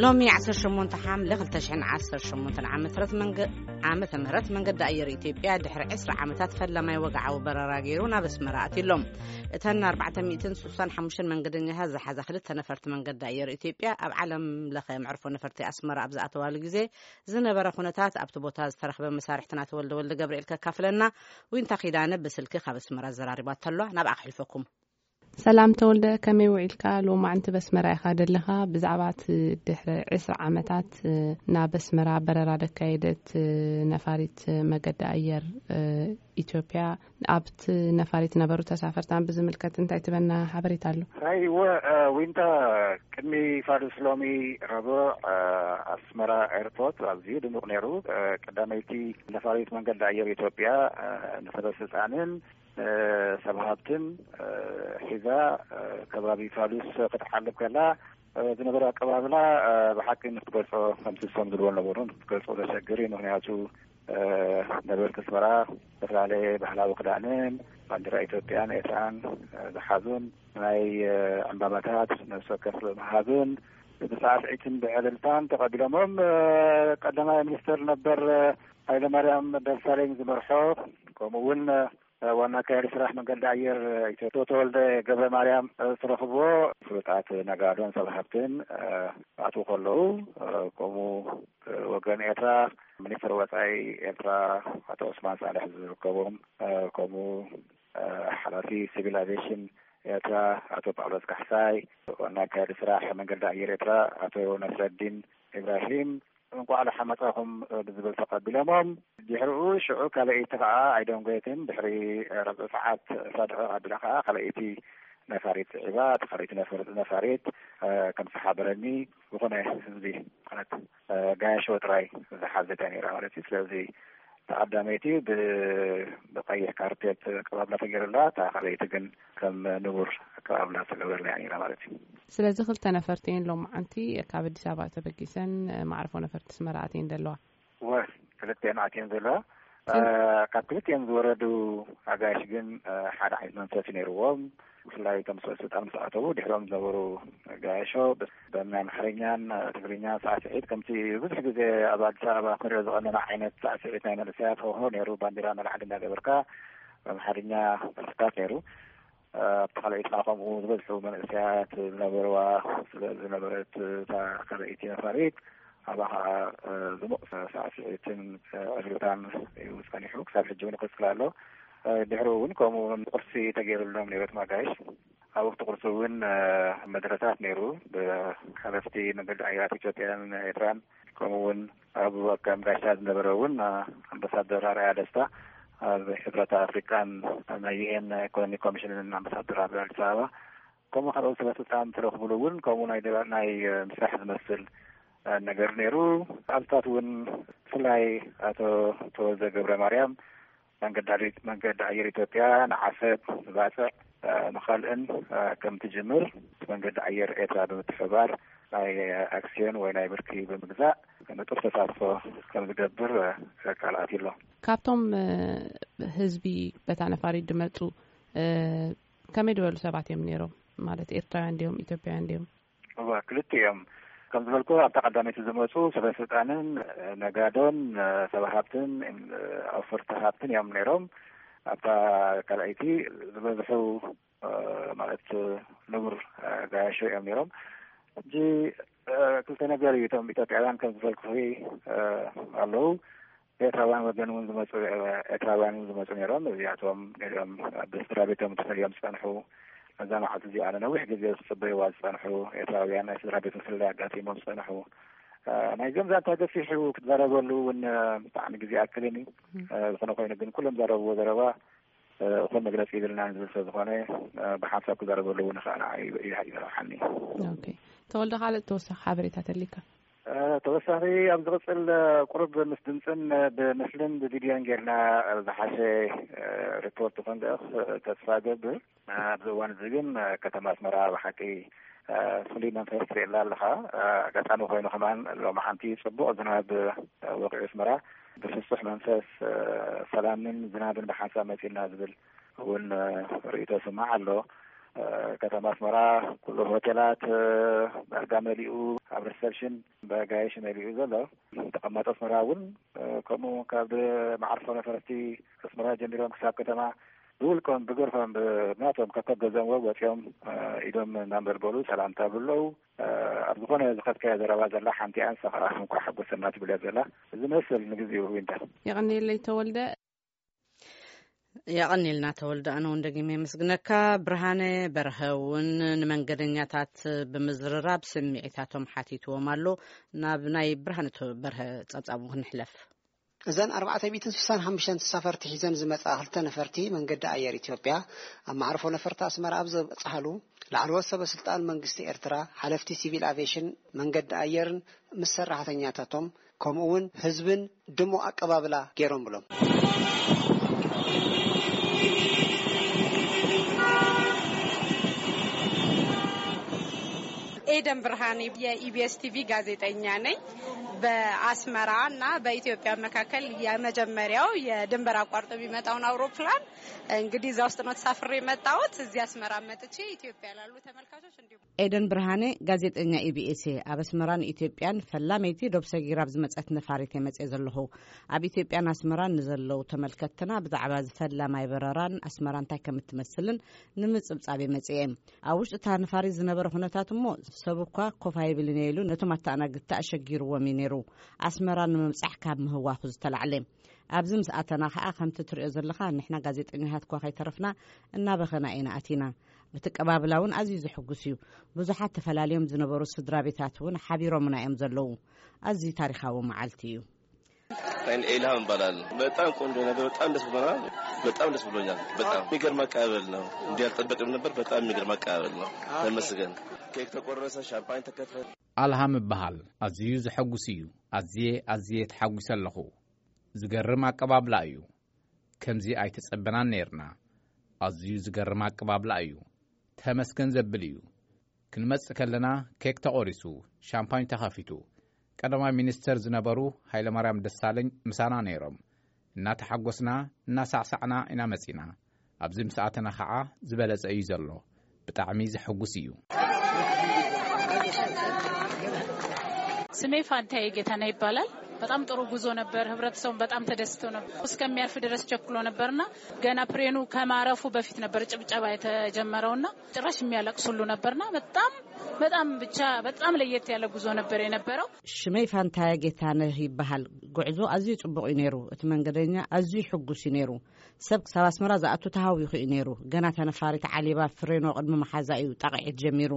ሎሚ ዓሰርተ ሸሞንተ ሓምለ ክልተ ሽሕን ዓሰርተ ሸሞንተን ዓመተ ምህረት መንገ-፣ ዓመተ ምህረት መንገዲ ኣየር ኢትዮጵያ ድሕሪ ዕስራ ዓመታት ፈላማይ ወግዓዊ በረራ ገይሩ ናብ ኣስመራ ኣትዩ ኣሎ። እተን ኣርባዕተ ሚእትን ስሳን ሓሙሽተን መንገደኛታት ዝሓዛ ክልተ ነፈርቲ መንገዲ ኣየር ኢትዮጵያ ኣብ ዓለም ለኸ መዕርፎ ነፈርቲ ኣስመራ ኣብ ዝኣተዋሉ ግዜ ዝነበረ ኩነታት ኣብቲ ቦታ ዝተረኽበ መሳርሕትና ተወልደ ወልደ ገብርኤል ከካፍለና ዊንታ ኪዳነ ብስልኪ ካብ ኣስመራ ኣዘራሪባቶ ኣሎ። ናብኣ ክሕልፈኩም። ሰላም ተወልደ፣ ከመይ ውዒልካ? ሎማዕንቲ በስመራ ኢኻ ደለኻ። ብዛዕባ እቲ ድሕሪ ዕስራ ዓመታት፣ እ፣ ናብ ኣስመራ በረራ ደካየደት፣ እ፣ ነፋሪት መገዲ ኣየር፣ እ፣ ኢትዮጵያ፣ ኣብቲ ነፋሪት ነበሩ ተሳፈርታን ብዝምልከት እንታይ ትበና ሓበሬታ ኣሎ? ኣይ፣ እወ፣ እ፣ ዊንታ፣ ቅድሚ ፋዱስ ሎሚ ረቡዕ፣ እ፣ ኣስመራ ኤርፖርት ኣዝዩ ድሙቕ ነይሩ። እ፣ ቀዳመይቲ ነፋሪት መንገዲ ኣየር ኢትዮጵያ፣ እ፣ ንሰበ ስልጣንን እ፣ ሰብ ሃብትን፣ እ፣ ሒዛ፣ እ፣ ከባቢ ፋሉስ ክትሓልፍ ከላ፣ እ፣ ዝነበረ ኣቀባብላ፣ እ፣ ብሓቂ ንክትገልጾ ከምቲ እሶም ዝብልዎ ነበሩ ክትገልጾ ዘሸግር እዩ። ምኽንያቱ፣ እ፣ ነበርቲ ኣስመራ ዝተፈላለየ ባህላዊ ክዳንን ባንዲራ ኢትዮጵያን ኤርትራን፣ እ፣ ዝሓዙን ናይ፣ እ፣ ዕምባባታት ነፍሲ ወከፍ ብምሃብን ብሳዕስዒትን ብዕልልታን ተቐቢሎሞም። እ፣ ቀዳማይ ሚኒስትር ነበር፣ እ፣ ሃይለማርያም ደሳለኝ ዝመርሖ፣ ከምኡ እውን፣ እ፣ ዋና ኣካያዲ ስራሕ መንገዲ ኣየር ኢትዮጵያ ተወልደ ገብረ ማርያም፣ እ፣ ዝተረኽብዎ ፍሉጣት ነጋዶን ሰብ ሃብትን፣ እ፣ ክኣትዉ ከለዉ፣ እ፣ ከምኡ፣ እ፣ ወገን ኤርትራ ሚኒስትር ወጻኢ ኤርትራ ኣቶ ዑስማን ሳልሕ ዝርከቦም፣ እ፣ ከምኡ፣ እ፣ ሓላፊ ሲቪል ኣቪዬሽን ኤርትራ ኣቶ ጳውሎስ ካሕሳይ፣ ዋና ኣካያዲ ስራሕ መንገዲ ኣየር ኤርትራ ኣቶ ነስረዲን ኢብራሂም፣ እንቋዕ ደሓን መጻኹም ብዝብል ተቐቢሎሞም። ድሕሪኡ ሽዑ ካልኣይቲ ኸዓ ኣይደንጎየትን። ድሕሪ ረብዒ ሰዓት ዕስራ ደቂቕ ኣቢላ ኸዓ ካልኣይቲ ነፋሪት ስዒባ፣ እታ ካልኣይቲ ነፈር-፣ ነፋሪት፣ እ፣ ከም ዝሓበረኒ፣ ዝኾነ ህዝቢ ማለት፣ እ፣ ጋያሾ ጥራይ ዝሓዘት እያ ነይራ ማለት እዩ። ስለዚ ተቐዳመይቲ ብ-፣ ብቐይሕ ካርፔት ኣቀባብላ ተገይሩላ፣ እታ ካልኣይቲ ግን ከም ንቡር ኣቀባብላ ዝተገበረላ እያ ነይራ ማለት እዩ። ስለዚ ክልተ ነፈርቲ እየን ሎማዓንቲ ካብ ኣዲስ ኣበባ ተበጊሰን መዕርፎ ነፈርቲ ኣስመራ ኣትየን ዘለዋ። ወ-፣ ክልተን ኣትየን ዘለዋ። ከን- እ፣ ካብ ክልተን ዝወረዱ ኣጋይሽ ግን፣ እ፣ ሓደ ዓይነት መንፈስ እዩ ነይርዎም። ብፍላይ እቶም ሰበ ስልጣን ምስ ኣተዉ ድሕሮም ዝነበሩ ጋያሾ ብ-፣ ብናይ ኣምሓርኛን ትግርኛን ሳዕስዒት፣ ከምቲ ብዙሕ ግዜ ኣብ ኣዲስ ኣበባ ክንሪኦ ዝቐነና ዓይነት ሳዕስዒት ናይ መንእሰያት፣ ሆሆ ነይሩ፣ ባንዲራ ንላዕሊ እንዳገበርካ ብኣምሓርኛ ደርፍታት ነይሩ። ኣብቲ ካልኣይቲ ከዓ ከምኡ ዝበዝሑ መንእሰያት ዝነበርዋ ስለ ዝነበረት፣ እታ ካልኣይቲ ነፋሪት ኣብኣ ከዓ፣ እ፣ ድሙቕ ሳዕስዒትን፣ እ፣ ዕልልታን እዩ ጸኒሑ። ክሳብ ሕጂ እውን ይቕጽል ኣሎ። እ፣ ድሕሪኡ እውን ከምኡ እውን ቁርሲ ተገይሩሎም ነይሩ እቶም ኣጋይሽ። ኣብ ወቅቲ ቁርሲ እውን፣ እ፣ መደረታት ነይሩ። ብሓለፍቲ መንገዲ ኣየራት ኢትዮጵያን ኤርትራን፣ ከምኡ እውን ኣብ ከም ጋሻ ዝነበረ እውን፣ እ፣ ኣምባሳደር ኣርኣያ ደስታ፣ ኣብ ሕብረት ኣፍሪቃን ናይ ዩ ኤን ኢኮኖሚክ ኮሚሽንን ኣምባሳደር ኣብ ኣዲስ ኣበባ፣ ከምኡ ካልኦት ሰበ ስልጣን ዝተረኽብሉ እውን ከምኡ ናይ ደባ-፣ ናይ፣ እ፣ ምስራሕ ዝመስል፣ እ፣ ነገር ነይሩ። ኣብታት እውን ብፍላይ ኣቶ ተወልደ ገብረ ማርያም፣ መንገዲ ኣየር፣ መንገዲ ኣየር ኢትዮጵያ ንዓሰብ፣ ንባጽዕ፣ እ፣ ንኻልእን፣ እ፣ ከም ትጅምር፣ መንገዲ ኣየር ኤርትራ ብምትሕብባር ናይ ኣክስዮን ወይ ናይ ብርኪ ብምግዛእ ንጡፍ ተሳትፎ ከም ዝገብር፣ እ፣ ቃል ኣትዩ ኣሎ። ካብቶም፣ እ፣ ህዝቢ በታ ነፋሪት ዝመጹ፣ እ፣ ከመይ ዝበሉ ሰባት እዮም ነይሮም? ማለት ኤርትራውያን ድዮም ኢትዮጵያውያን ድዮም? እዋ፣ ክልቲኦም። ከም ዝበልኩ፣ ኣብታ ቀዳመይቲ ዝመጹ ሰበ ስልጣንን፣ እ፣ ነጋዶን፣ እ፣ ሰብ ሃብትን፣ እ፣ ኣውፈርቲ ሃብትን እዮም ነይሮም። ኣብታ ካልኣይቲ ዝበዝሑ፣ እ፣ ማለት፣ እ፣ ንቡር፣ እ፣ ጋያሾ እዮም ነይሮም። ሕጂ፣ እ፣ ክልተ ነገር እዩ። እቶም ኢትዮጵያውያን ከም ዝበልኩኺ፣ እ፣ ኣለዉ። ኤርትራውያን ወገን እውን ዝመጹ፣ ኤርትራውያን እውን ዝመጹ ነይሮም። እዚኣቶም ገሊኦም ብስድራ ቤቶም ተፈልዮም ዝጸንሑ፣ ነዛ መዓልቲ እዚኣ ንነዊሕ ግዜ ዝጽበይዋ ዝጸንሑ ኤርትራውያን ናይ ስድራ ቤት ምፍልላይ ኣጋጢሞም ዝጸንሑ። እ፣ ናይ ገምዛንታ ገፊሕ እዩ ክትዛረበሉ እውን፣ እ፣ ብጣዕሚ ግዜ ኣክልን እዩ። እ፣ ዝኾነ ኮይኑ ግን ኩሎም ዘረብዎ ዘረባ፣ እ፣ እኹል መግለጺ ይብልናን ዝብል ስለ ዝኾነ፣ እ፣ ብሓንሳብ ክዛረበሉ እውን ንኽእል እዩ፣ እዩ፣ እዩ ይረብሓኒ። ኦኬ። ተወልደ፣ ካልእ ተወሳኺ ሓበሬታ ተሊካ? እ፣ ተወሳኺ ኣብ ዝቕጽል፣ እ፣ ቁሩብ ምስ ድምጽን፣ እ፣ ብምስልን ብቪድዮን ጌርና፣ እ፣ ዝሓሸ፣ እ፣ ሪፖርት ክንልእኽ፣ እ፣ ተስፋ እገብር። እ፣ ኣብዚ እዋን እዚ ግን፣ እ፣ ከተማ ኣስመራ ብሓቂ፣ እ፣ ፍሉይ መንፈስ ትርኢ ኣላ ኣለኻ። እ፣ ኣጋጣሚ ኮይኑ ከማን ሎማዓንቲ ጽቡቕ ዝናብ፣ እ፣ ወቒዑ ኣስመራ ብፍሱሕ መንፈስ፣ እ፣ ሰላምን ዝናብን ብሓንሳብ መጺእና ዝብል እውን፣ እ፣ ርእይቶ ይስማዕ ኣሎ። ከተማ ኣስመራ ኩሉ ሆቴላት ዳርጋ መሊኡ፣ ኣብ ሪሰፕሽን ብኣጋይሽ መሊኡ ዘሎ። ተቐማጦ ኣስመራ እውን ከምኡ ካብ መዓርፎ ነፈርቲ ኣስመራ ጀሚሮም ክሳብ ከተማ ብውልቆም ብገርፎም ብናቶም ከከብ ገዘምዎ ወፂኦም ኢዶም እናንበልበሉ ሰላምታ ብለው። ኣብ ዝኾነ ዝኸድካዮ ዘረባ ዘላ ሓንቲ ኣንሳ ከዓ እንኳዕ ሓጎሰና ትብል እያ ዘላ። እዚ መስል ንግዜኡ ዊንታ። የቐንየለይ ተወልደ። የቐንየልና ተወልደ፣ ኣነ እውን ደጊመ የመስግነካ። ብርሃነ በርሀ እውን ንመንገደኛታት ብምዝርራብ ስምዒታቶም ሓቲትዎም ኣሎ። ናብ ናይ ብርሃነ በርሀ ጸብጻቡ ክንሕለፍ። እዘን ኣርባዕተ ሚእትን ስሳን ሓሙሽተን ተሳፈርቲ ሒዘን ዝመጻ ክልተ ነፈርቲ መንገዲ ኣየር ኢትዮጵያ ኣብ መዓርፎ ነፈርቲ ኣስመራ ኣብ ዘብጽሓሉ፣ ላዕለዎት ሰበ ስልጣን መንግስቲ ኤርትራ፣ ሓለፍቲ ሲቪል ኣቪዬሽን፣ መንገዲ ኣየርን ምስ ሰራሕተኛታቶም ከምኡ እውን ህዝብን ድሙቕ ኣቀባብላ ገይሮም ብሎም። ኤደን ብርሃኔ የኢቢኤስ ቲቪ ጋዜጠኛ ነኝ። በአስመራ እና በኢትዮጵያ መካከል የመጀመሪያው የድንበር አቋርጦ የሚመጣውን አውሮፕላን እንግዲህ እዛ ውስጥ ነው ተሳፍሬ የመጣሁት። እዚህ አስመራ መጥቼ ኢትዮጵያ ላሉ ተመልካቾች እንዲሁም ኤደን ብርሃኔ ጋዜጠኛ ኢቢኤስ። ኣብ ኣስመራን ኢትዮጵያን ፈላመይቲ ዶብ ሰጊራ ኣብ ዝመጸት ነፋሪት እየ መጽየ ዘለኹ። ኣብ ኢትዮጵያን ኣስመራን ንዘለዉ ተመልከትና ብዛዕባ ዝፈላማይ በረራን ኣስመራ እንታይ ከም እትመስልን ንምጽብጻብ እየ መጽየ። ኣብ ውሽጢ እታ ነፋሪት ዝነበረ ኩነታት እሞ ሰብ እኳ ኮፍ ኣይብልን እየ ኢሉ ነቶም ኣተኣናግድቲ ኣሸጊርዎም እዩ ነይሩ። ኣስመራ ንምብጻሕ ካብ ምህዋኹ ዝተላዕለ። ኣብዚ ምስ ኣተና ኸኣ ከምቲ ትሪኦ ዘለኻ ንሕና ጋዜጠኛታት እኳ ከይተረፍና እናበኸና ኢና ኣቲና። እቲ ቀባብላ እውን ኣዝዩ ዘሕጉስ እዩ። ብዙሓት ተፈላልዮም ዝነበሩ ስድራ ቤታት እውን ሓቢሮምና እዮም ዘለዉ። ኣዝዩ ታሪኻዊ መዓልቲ እዩ። ኤልሃም እባላለሁ። በጣም ቆንጆ ነበር። በጣም ደስ ብሎናል። በጣም ደስ ብሎኛል። በጣም የሚገርም አቀባበል ነው። እንዲህ አልጠበቅንም ነበር። በጣም የሚገርም አቀባበል ነው። ተመስገን። ኬክ ተቆረሰ፣ ሻምፓኝ ተከፈተ። ኣልሃም እበሃል። ኣዝዩ ዘሐጉስ እዩ። ኣዝየ ኣዝየ ተሓጒሰ ኣለኹ። ዝገርም ኣቀባብላ እዩ። ከምዚ ኣይተጸበናን ነይርና። ኣዝዩ ዝገርም ኣቀባብላ እዩ። ተመስገን ዘብል እዩ። ክንመጽእ ከለና ኬክ ተቖሪሱ፣ ሻምፓኝ ተኸፊቱ። ቀዳማይ ሚኒስተር ዝነበሩ ሃይለማርያም ደሳለኝ ምሳና ነይሮም። እናተሓጎስና እናሳዕሳዕና ኢና መጺና። ኣብዚ ምስ ኣተና ኸዓ ዝበለጸ እዩ ዘሎ። ብጣዕሚ ዘሐጉስ እዩ። ስሜ ፋንታዬ ጌታነህ ይባላል። በጣም ጥሩ ጉዞ ነበር። ህብረተሰቡም በጣም ተደስቶ ነበር። እስከሚያርፍ ድረስ ቸኩሎ ነበርና ገና ፕሬኑ ከማረፉ በፊት ነበር ጭብጨባ የተጀመረውና ጭራሽ የሚያለቅስ ሁሉ ነበርና በጣም በጣም ብቻ በጣም ለየት ያለ ጉዞ ነበር የነበረው። ሽመይ ፋንታየ ጌታነህ ይበሃል። ጉዕዞ ኣዝዩ ጽቡቕ እዩ ነይሩ። እቲ መንገደኛ ኣዝዩ ሕጉስ እዩ ነይሩ። ሰብ ክሳብ ኣስመራ ዝኣቱ ተሃዊኹ እዩ ነይሩ። ገና እታ ነፋሪት ዓሊባ ፍሬኖ ቅድሚ መሓዛ እዩ ጣቕዒት ጀሚሩ።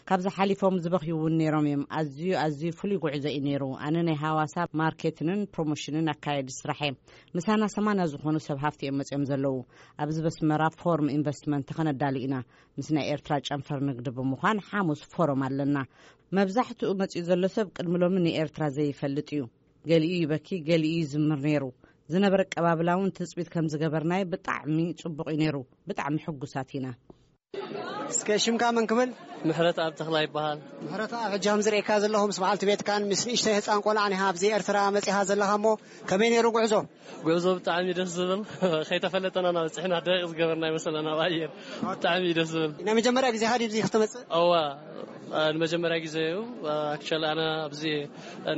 ካብዚ ሓሊፎም ዝበኽዩ እውን ነይሮም እዮም። ኣዝዩ ኣዝዩ ፍሉይ ጉዕዞ እዩ ነይሩ። ኣነ ናይ ሃዋሳ ማርኬትንን ፕሮሞሽንን ኣካየዲ ስራሕ እየ። ምሳና ሰማንያ ዝኾኑ ሰብ ሃፍቲ እዮም መፅዮም ዘለዉ። ኣብዚ በስመራ ፎርም ኢንቨስትመንት ከነዳሉ ኢና። ምስ ናይ ኤርትራ ጨንፈር ንግዲ ብምዃን ሓሙስ ፎረም ኣለና። መብዛሕትኡ መፂኡ ዘሎ ሰብ ቅድሚ ሎሚ ንኤርትራ ዘይፈልጥ እዩ። ገሊኡ ይበኪ፣ ገሊኡ ይዝምር ነይሩ። ዝነበረ ኣቀባብላ እውን ትፅቢት ከም ዝገበርናዮ ብጣዕሚ ፅቡቕ እዩ ነይሩ። ብጣዕሚ ሕጉሳት ኢና። እስከ ሽምካ መን ክብል? ምሕረት ኣብ ተኽላ ይበሃል። ምሕረት ኣብ ሕጂ ከም ዝርእየካ ዘለኹ ምስ በዓልቲ ቤትካን ምስ ንእሽተይ ህፃን ቆልዓን ኢኻ ኣብዚ ኤርትራ መፂኻ ዘለኻ እሞ ከመይ ነይሩ ጉዕዞ? ጉዕዞ ብጣዕሚ ደስ ዝብል ከይተፈለጠና ናብ ፅሕና ደቂቕ ዝገበርና ይመስለና ኣብ ኣየር ብጣዕሚ እዩ ደስ ዝብል። ናይ መጀመርያ ግዜኻ ድዩ ኣብዚ ክትመፅእ? እዋ ንመጀመርያ ግዜ እዩ። ኣክቸሊ ኣነ ኣብዚ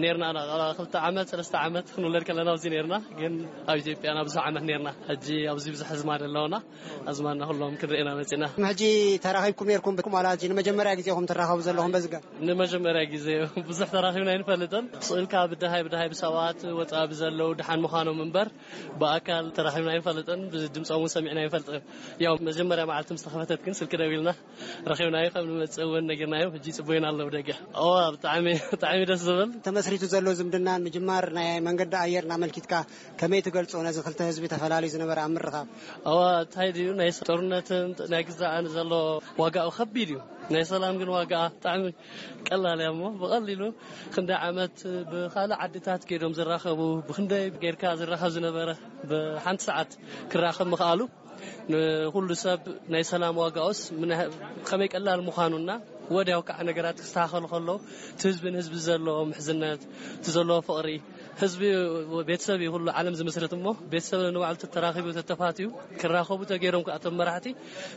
ነርና ኣና ክልተ ዓመት ሰለስተ ዓመት ክንውለድ ከለና ኣብዚ ነርና ግን ኣብ ኢትዮጵያ ና ብዙሕ ዓመት ነርና ሕጂ ኣብዚ ብዙሕ ህዝማ ደለውና ኣዝማና ኩሎም ክንርኢና መጺና። ሕጂ ተራኺብኩም ነርኩም ብኩም ዋላ ሕጂ ንመጀመርያ ግዜኹም ትራኸቡ ዘለኹም በዚ ጋር? ንመጀመርያ ግዜ ብዙሕ ተራኺብና ኣይንፈልጥን። ስእልካ ብድሃይ ብድሃይ ብሰባት ወጻ ብዘለዉ ድሓን ምዃኖም እምበር ብኣካል ተራኺብና ኣይንፈልጥን። ብድምጾም እውን ሰሚዕና ኣይንፈልጥን። ያው መጀመርያ መዓልቲ ምስ ተኸፈተት ግን ስልኪ ደዊልና ረኺብናዮ ከም ንመጽእ እውን ነጊርናዮም። ሕጂ ጽቡይና ኣለዉ ደገ። እዋ ብጣዕሚ ብጣዕሚ ደስ ዝብል። ተመስሪቱ ዘሎ ዝምድናን ምጅማር ናይ መንገዲ ኣየርን ኣመልኪትካ ከመይ ትገልጾ ነዚ ክልተ ህዝቢ ተፈላልዩ ዝነበረ ኣብ ምርኻብ? እዋ እንታይ ድዩ ናይ ጦርነትን ናይ ግዛእን ዘሎ ዋጋኡ ከቢድ እዩ። ናይ ሰላም ግን ዋጋ ብጣዕሚ ቀላል እያ እሞ ብቐሊሉ ክንደይ ዓመት ብኻልእ ዓድታት ከይዶም ዝራኸቡ ብክንደይ ጌርካ ዝራኸብ ዝነበረ ብሓንቲ ሰዓት ክራኸብ ምኽኣሉ ንኹሉ ሰብ ናይ ሰላም ዋጋኡስ ከመይ ቀላል ምዃኑና ወዲያው ከዓ ነገራት ክስተኻኸሉ ከለዉ፣ እቲ ህዝቢ ንህዝቢ ዘለዎ ምሕዝነት፣ እቲ ዘለዎ ፍቕሪ፣ ህዝቢ ቤተሰብ እዩ። ኩሉ ዓለም ዝምስርት እሞ፣ ቤተሰብ ንባዕሉ ተተራኺቡ ተተፋትዩ ክራኸቡ ተገይሮም ከዓ እቶም መራሕቲ፣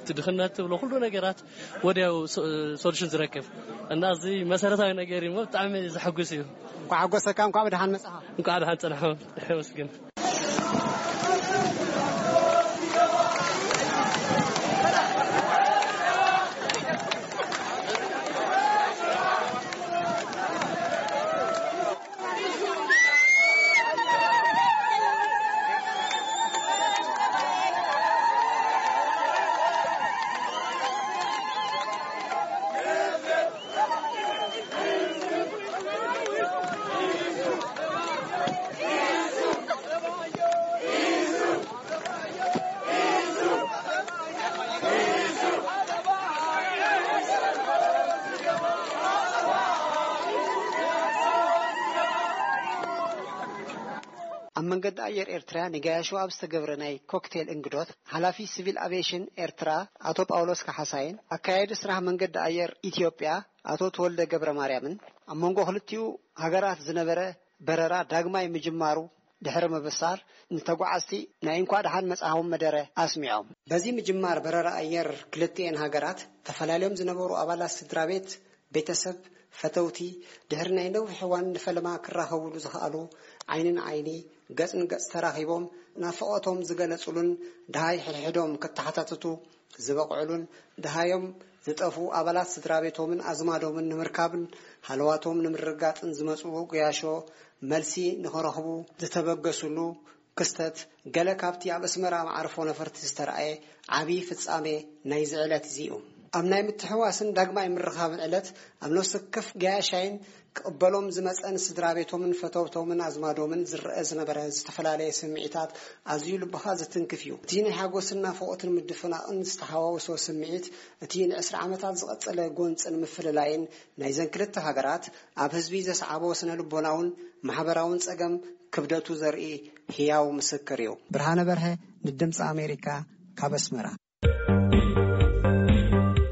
እቲ ድኽነት ትብሎ ኩሉ ነገራት ወዲያው ሶ-፣ ሶሉሽን ዝረክብ እና፣ እዚ መሰረታዊ ነገር እዩ እሞ፣ ብጣዕሚ ዘሐጉስ እዩ። እንኳዕ ሓጎሰካ፣ እንኳዕ ብደሓን መጻኻ። እንኳዕ ደሓን ጸናሕኩም። የመስግን። ኣብ መንገዲ ኣየር ኤርትራ ንገያሾ ኣብ ዝተገብረ ናይ ኮክቴል እንግዶት፣ ሓላፊ ሲቪል ኣቪዬሽን ኤርትራ ኣቶ ጳውሎስ ካሓሳይን ኣካያዲ ስራሕ መንገዲ ኣየር ኢትዮጵያ ኣቶ ተወልደ ገብረ ማርያምን፣ ኣብ መንጎ ክልቲኡ ሃገራት ዝነበረ በረራ ዳግማይ ምጅማሩ ድሕሪ ምብሳር፣ ንተጓዓዝቲ ናይ እንኳዕ ደሓን መጻኹም መደረ ኣስሚዖም። በዚ ምጅማር በረራ ኣየር ክልቲኤን ሃገራት፣ ተፈላልዮም ዝነበሩ ኣባላት ስድራ ቤት፣ ቤተሰብ፣ ፈተውቲ፣ ድሕሪ ናይ ነዊሕ እዋን ንፈለማ ክራኸቡሉ ዝኸኣሉ፣ ዓይኒ ንዓይኒ፣ ገጽ ንገጽ ተራኺቦም ናፍቖቶም ዝገለጹሉን ደሃይ ሕድሕዶም ክተሓታተቱ ዝበቕዕሉን፣ ደሃዮም ዝጠፍኡ ኣባላት ስድራ ቤቶምን ኣዝማዶምን ንምርካብን ሃለዋቶም ንምርግጋጽን ዝመጽኡ ገያሾ መልሲ ንኽረኽቡ ዝተበገሱሉ ክስተት፣ ገለ ካብቲ ኣብ ኣስመራ መዓርፎ ነፈርቲ ዝተረኣየ ዓቢ ፍጻሜ ናይዚ ዕለት እዚ እዩ። ኣብ ናይ ምትሕዋስን ዳግማይ ምርኻብን ዕለት፣ ኣብ ነፍሲ ወከፍ ገያሻይን ክቕበሎም ዝመጸን ስድራ ቤቶምን ፈተውቶምን ኣዝማዶምን ዝረአ ዝነበረ ዝተፈላለየ ስምዒታት ኣዝዩ ልብኻ ዝትንክፍ እዩ። እቲ ናይ ሓጎስን ናፍቖትን ምድፍናቕን ዝተሓዋወሶ ስምዒት፣ እቲ ንዕስራ ዓመታት ዝቐጸለ ጎንጽን ምፍልላይን ናይዘን ክልተ ሃገራት ኣብ ህዝቢ ዘስዓቦ ስነ ልቦናውን ማሕበራውን ጸገም ክብደቱ ዘርኢ ህያው ምስክር እዩ። ብርሃነ በርሀ ንድምፂ ኣሜሪካ ካብ ኣስመራ።